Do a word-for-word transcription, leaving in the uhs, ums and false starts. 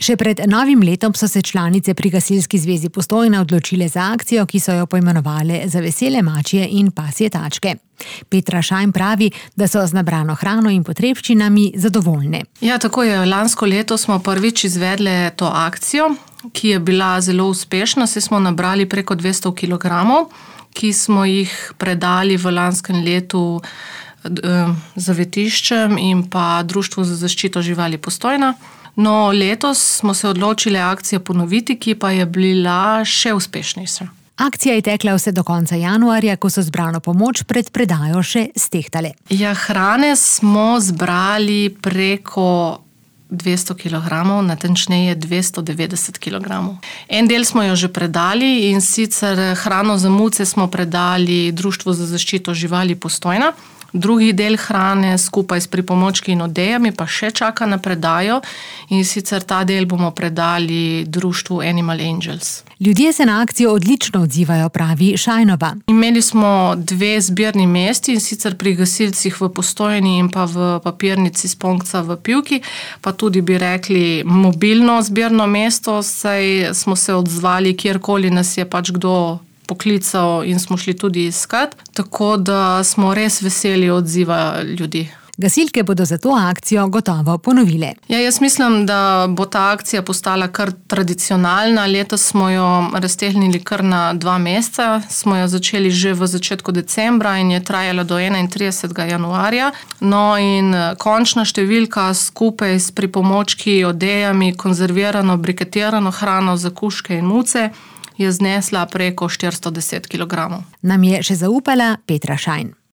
Še pred novim letom so se članice pri Gasilski zvezi Postojna odločile za akcijo, ki so jo poimenovale Za vesele mačje in pasje tačke. Petra Šajn pravi, da so z nabrano hrano in potrebščinami zadovoljne. Ja, tako je. Lansko leto smo prvič izvedle to akcijo, ki je bila zelo uspešna. Saj smo nabrali preko dvesto kilogramov, ki smo jih predali v lanskem letu zavetiščem in pa Društvu za zaščito živali Postojna. No, letos smo se odločili akcijo ponoviti, ki pa je bila še uspešnejša. Akcija je tekla vse do konca januarja, ko so zbrano pomoč pred predajo še stehtale. Ja, hrane smo zbrali preko dvesto kilogramov, natančneje dvesto devetdeset kilogramov. En del smo jo že predali, in sicer hrano za muce smo predali Društvu za zaščito živali Postojna. Drugi del hrane skupaj s pripomočki in odejami pa še čaka na predajo, in sicer ta del bomo predali društvu Animal Angels. Ljudje se na akcijo odlično odzivajo, pravi Šajnova. Imeli smo dve zbirni mesti, in sicer pri gasilcih v Postojni in pa v papirnici Sponkca v Pivki, pa tudi bi rekli mobilno zbirno mesto, saj smo se odzvali kjerkoli nas je pač kdo poklical in smo šli tudi iskat, tako da smo res veseli odziva ljudi. Gasilke bodo za to akcijo gotovo ponovile. Ja, jaz mislim, da bo ta akcija postala kar tradicionalna. Letos smo jo raztegnili kar na dva meseca. Smo jo začeli že v začetku decembra in je trajala do enaintridesetega januarja. No, in končna številka skupaj s pripomočki, odejami, konzervirano, briketirano hrano za kužke in muce je znesla preko štiristo deset kilogramov. Nam je še zaupala Petra Šajn.